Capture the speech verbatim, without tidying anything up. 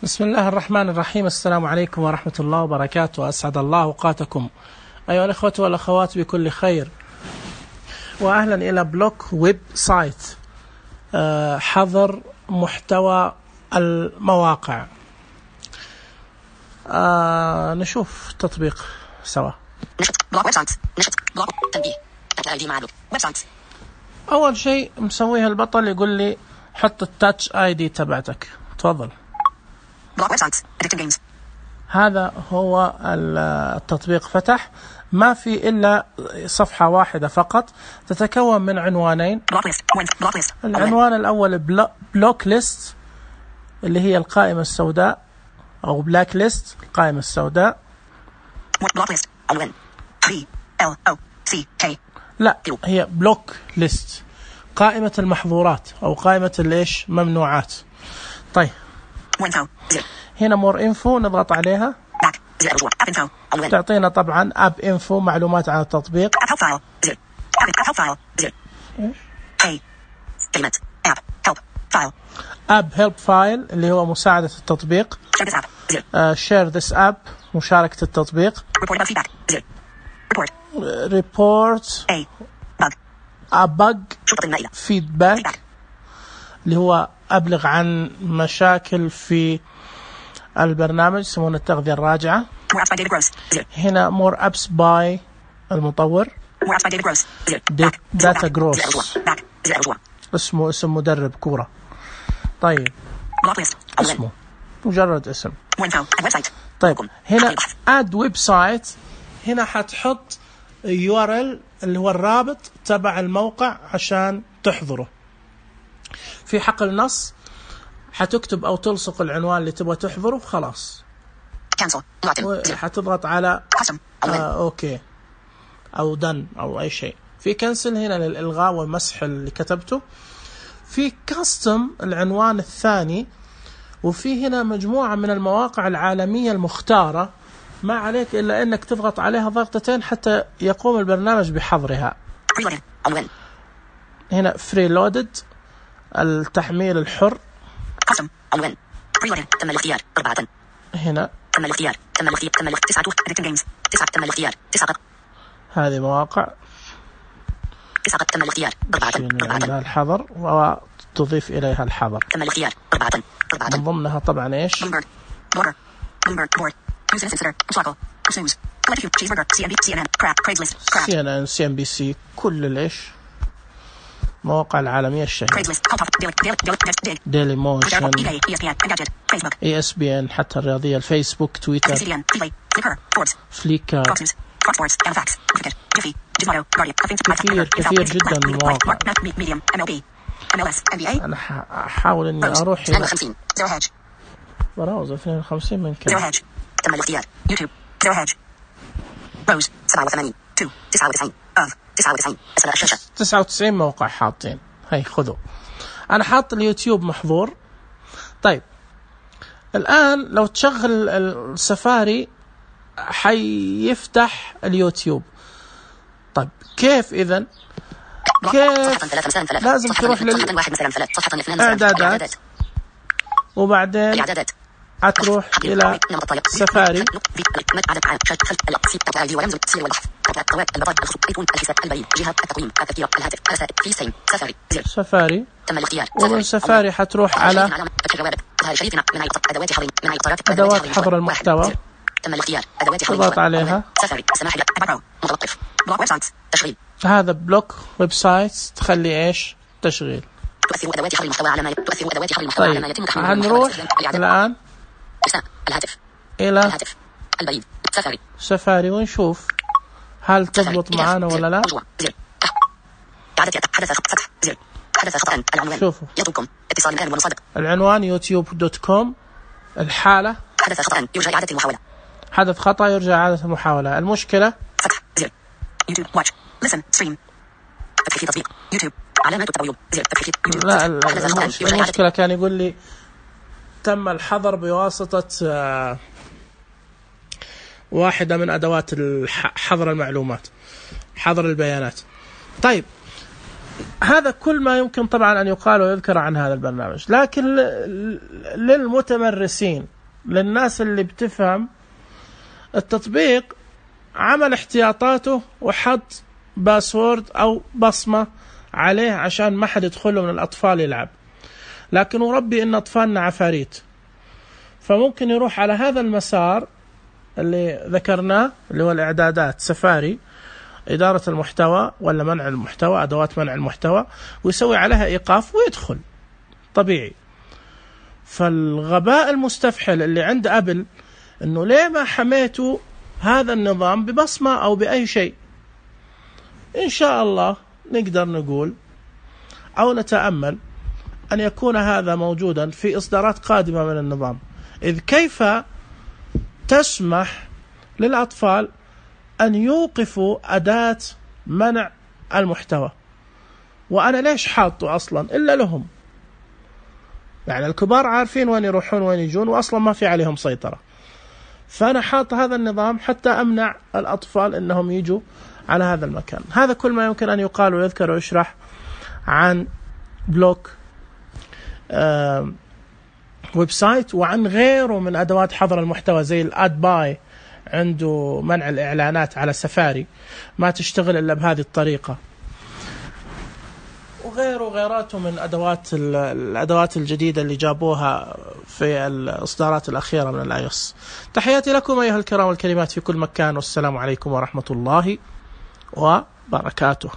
بسم الله الرحمن الرحيم. السلام عليكم ورحمة الله وبركاته. أسعد الله أوقاتكم أيها الأخوة والأخوات بكل خير، وأهلا إلى بلوك ويب سايت حظر محتوى المواقع. آه نشوف تطبيق سوا. أول شيء مسويها البطل يقول لي حط التاتش آي دي تبعتك، تفضل. هذا هو التطبيق، فتح ما في إلا صفحة واحدة فقط تتكون من عنوانين. العنوان الأول بلوك ليست اللي هي القائمة السوداء أو بلاك ليست القائمة السوداء. لا، هي بلوك ليست قائمة المحظورات أو قائمة الإيش ممنوعات. طيب هنا مور انفو نضغط عليها، تعطينا طبعا اب انفو معلومات عن التطبيق. اب هيلب فايل اللي هو مساعدة التطبيق. شير ذس اب مشاركة التطبيق. ريبورت ابج فيدباك اللي هو أبلغ عن مشاكل في البرنامج، يسمونه التغذية الراجعة. هنا more apps by المطور. data gross اسمه اسم مدرب كورة. طيب اسمه مجرد اسم. طيب هنا add website، هنا حتحط يو آر إل اللي هو الرابط تبع الموقع عشان تحضره. في حقل نص حتكتب أو تلصق العنوان اللي تبغى تحضره وخلاص. حتضغط على آه أوكي أو دن أو أي شيء. في كنسل هنا للإلغاء والمسح اللي كتبته. في كاستم العنوان الثاني، وفي هنا مجموعة من المواقع العالمية المختارة، ما عليك إلا أنك تضغط عليها ضغطتين حتى يقوم البرنامج بحظرها. هنا فريلودد التحميل الحر. قسم عنوان بريلودد تم الاختيار أربعة. هنا تم الاختيار تم الاختيار تم الاختيار تسعة اديتنج جيمز تسعة تم الاختيار تسعة. هذه مواقع تسعة تم الاختيار أربعة أربعة الحظر وتضيف إليها الحظر. تم الاختيار أربعة أربعة من ضمنها طبعا إيش بلومبرج بلوجر بلومبرج بورد نيوز انسيدر شاكل نيوز تشيز برجر سي ان بي سي ان ان كراب كريجليست سي ان ان سي ان بي سي كل الإيش مواقع العالمية الشهيرة. ديلي موشن اي اس بي ان حتى الرياضية، الفيسبوك، تويتر، فليكر، كثير كثير جدا المواقع. أنا أحاول إني أروح إلى براوزر اثنين وخمسين من كم. تم الاختيار يوتيوب زيرو هاج روز سبعة وثمانين تو تسعة وتسعين أف تسعة وتسعين أسفل الشاشة تسعة وتسعين موقع حاطين. هاي خذوا، أنا حاط اليوتيوب محظور. طيب الآن لو تشغل السفاري حيفتح اليوتيوب. طيب كيف إذن؟ كيف؟ لازم تروح للإعدادات وبعدين هتروح إلى سفاري. سفاري ومن سفاري حتروح على أدوات حظر المحتوى، تضغط عليها. هذا بلوك ويب سايت تخلي إيش تشغيل. تؤثر أدوات حظر المحتوى على ما تؤثر أدوات حظر المحتوى على ما يتم تحميله. هنروح الآن الهاتف إلى الهاتف البريد سفاري سفاري ونشوف هل تضبط معانا ولا لا. حدث فتح زر حدث خطأ العنوان. شوفوا يطلبكم اتصال الآن ومصادق. العنوان يوتيوب دوت كوم. الحالة حدث خطأ يرجى إعادة المحاولة. حدث خطأ يرجى إعادة المحاولة. المشكلة فتح زر يوتيوب واتش لسن ستريم فتح في تطبيق يوتيوب علامة التغيير زر فتح في يوتيوب. لا المشكلة كان يقول لي تم الحظر بواسطة واحدة من أدوات حظر المعلومات، حظر البيانات. طيب هذا كل ما يمكن طبعا أن يقال ويذكر عن هذا البرنامج. لكن للمتمرسين، للناس اللي بتفهم التطبيق، عمل احتياطاته وحط باسورد أو بصمة عليه عشان ما حد يدخله من الأطفال يلعب. لكن وربي إن أطفالنا عفاريت، فممكن يروح على هذا المسار اللي ذكرناه اللي هو الإعدادات، سفاري، إدارة المحتوى ولا منع المحتوى، أدوات منع المحتوى، ويسوي عليها إيقاف ويدخل طبيعي. فالغباء المستفحل اللي عند أبل إنه ليه ما حميتوا هذا النظام ببصمة أو بأي شيء. إن شاء الله نقدر نقول أو نتأمل أن يكون هذا موجودا في إصدارات قادمة من النظام. إذ كيف تسمح للأطفال أن يوقفوا أداة منع المحتوى، وأنا ليش حاطه أصلا إلا لهم؟ يعني الكبار عارفين وين يروحون وين يجون وأصلا ما في عليهم سيطرة، فأنا حاط هذا النظام حتى أمنع الأطفال أنهم يجوا على هذا المكان. هذا كل ما يمكن أن يقال ويذكر ويشرح عن بلوك آه ويب سايت، وعن غيره من أدوات حظر المحتوى زي الاد باي، عنده منع الإعلانات على سفاري ما تشتغل إلا بهذه الطريقة، وغيره وغيراته من أدوات الأدوات الجديدة اللي جابوها في الإصدارات الأخيرة من الاي او اس. تحياتي لكم أيها الكرام والكريمات في كل مكان، والسلام عليكم ورحمة الله وبركاته.